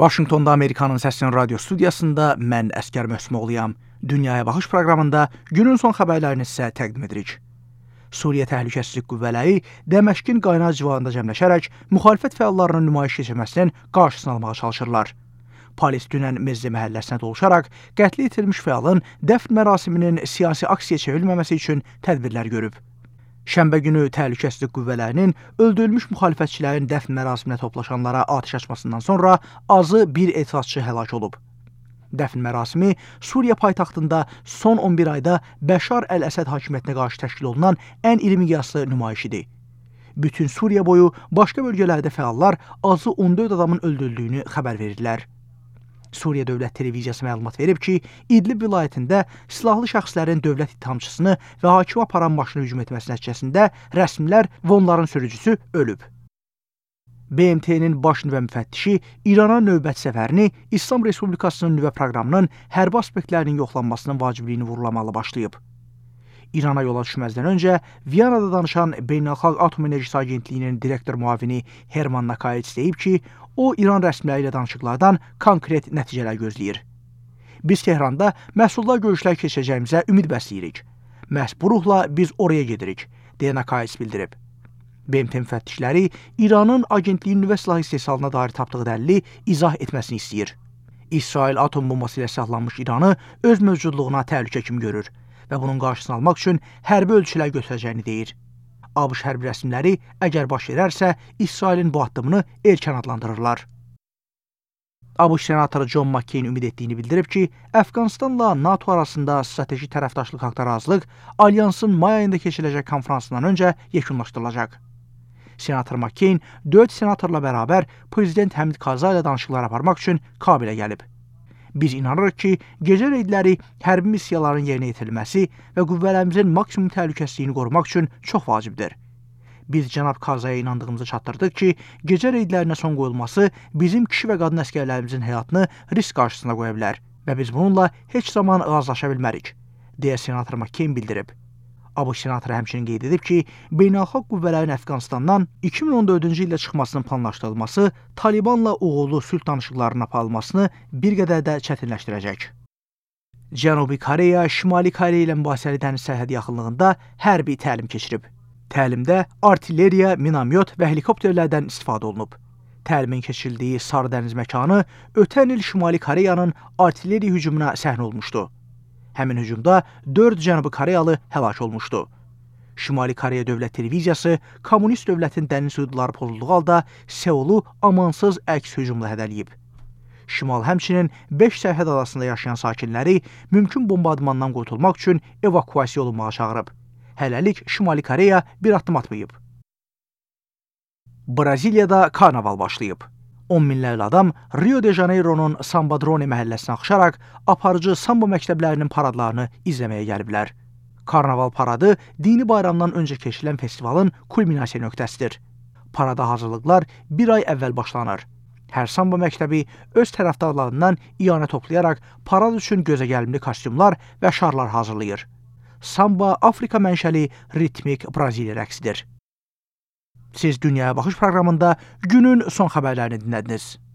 Vaşinqtonda Amerikanın Səsinin radio studiyasında mən Əskər Möhsümoğluyam. Dünyaya Baxış proqramında günün son xəbərlərini sizə təqdim edirik. Suriya Təhlükəsizlik Qüvvələri Dəməşqin qaynar civarında cəmləşərək müxalifət fəallarının nümayiş keçirməsinin qarşısını almağa çalışırlar. Polis dünən Mezze məhəlləsinə doluşaraq qətlə yetirilmiş fəalın dəfn mərasiminin siyasi aksiyaya çevrilməməsi üçün tədbirlər görüb. Şənbə günü Təhlükəsizlik Qüvvələrinin öldürülmüş müxalifətçilərin dəfn mərasiminə toplaşanlara atəş açmasından sonra azı bir etirazçı həlak olub. Dəfn mərasimi Suriya paytaxtında son 11 ayda Bəşar Əl-Əsəd hakimiyyətinə qarşı təşkil olunan ən iri miqyaslı nümayişidir. Bütün Suriya boyu başqa bölgələrdə fəallar azı 14 adamın öldürüldüyünü xəbər verirlər. Suriya Dövlət Televiziyası məlumat verib ki, İdlib vilayətində silahlı şəxslərin dövlət ittihamçısını və hakimi aparan maşını hücum etməsi nəticəsində rəsmilər və onların sürücüsü ölüb. BMT-nin baş nüvə müfəttişi İrana növbəti səfərini İslam Respublikasının nüvə proqramının hərbi aspektlərinin yoxlanmasının vacibliyini vurulamalı başlayıb. İrana yola düşməzdən öncə Viyanada danışan Beynəlxalq Atom Enerjisi Agentliyinin direktor müavini Herman Nakayets deyib ki, o İran rəsmiləri ilə danışıqlardan konkret nəticələr gözləyir. Biz Tehranda məhsuldar görüşlər keçirəcəyimizə ümid bəsləyirik. Məhz bu ruhla biz oraya gedirik, deyə Nakayets bildirib. BMT müfəttişləri İranın agentliyin nüvə silahı istehsalına dair tapdığı dəlili izah etməsini istəyir. İsrail atom bombası ilə silahlanmış İranı öz mövcudluğuna təhlükə kimi görür və bunun qarşısını almaq üçün hərbi ölçülər götürəcəyini deyir. ABŞ hərbi rəsmiləri əgər baş verərsə, İsrailin bu addımını erkən adlandırırlar. ABŞ senatoru John McCain ümid etdiyini bildirib ki, Əfqanistanla NATO arasında strateji tərəfdaşlıq haqda razılıq alyansın may ayında keçiriləcək konferansından öncə yekunlaşdırılacaq. Senator McCain 4 senatorla bərabər Prezident Həmid Karzai ilə danışıqlar aparmaq üçün Kabilə gəlib. Biz inanırıq ki, gecə reydləri hərbi missiyaların yerinə yetirilməsi və qüvvələrimizin maksimum təhlükəsizliyini qorumaq üçün çox vacibdir. Biz cənab Karzaiyə inandığımızı çatdırdıq ki, gecə reydlərinə son qoyulması bizim kişi və qadın əsgərlərimizin həyatını risk qarşısına qoya bilər və biz bununla heç zaman razılaşa bilmərik, deyə senator McCain bildirib. ABŞ senatoru həmçinin qeyd edib ki, beynəlxalq qüvvələrin Əfqanistandan 2014-cü ildə çıxmasının planlaşdırılması Talibanla uğurlu sülh danışıqlarının aparılmasını bir qədər də çətinləşdirəcək. Cənubi Koreya, Şimali Koreya ilə mübahisəli dəniz sərhədi yaxınlığında hərbi təlim keçirib. Təlimdə artilleriya, minamyot və helikopterlərdən istifadə olunub. Təlimin keçirildiyi Sarı dəniz məkanı ötən il Şimali Koreyanın artilleriya hücumuna səhnə olmuşdu. Həmin hücumda 4 Cənubi Koreyalı həlak olmuşdu. Şimali Koreya Dövlət Televiziyası kommunist dövlətin dəniz hüdudları pozulduğu halda Seulu amansız əks hücumla hədələyib. Şimal həmçinin 5 sərhəd adasında yaşayan sakinləri mümkün bombardmandan qurtulmaq üçün evakuasiya olunmağa çağırıb. Hələlik Şimali Koreya bir addım atmayıb. Braziliyada karnaval başlayıb. 10 minlərlə adam Rio de Janeiro'nun Sambadrone məhəlləsinə axışaraq aparıcı sambo məktəblərinin paradlarını izləməyə gəliblər. Karnaval paradı dini bayramdan öncə keçirilən festivalın kulminasiya nöqtəsidir. Parada hazırlıqlar bir ay əvvəl başlanır. Hər sambo məktəbi öz tərəfdarlarından iyanə toplayaraq parad üçün gözəgəlimli kostyumlar və şarlar hazırlayır. Samba Afrika mənşəli ritmik Braziliya rəqsidir. Siz Dünyaya Baxış proqramında günün son xəbərlərini dinlədiniz.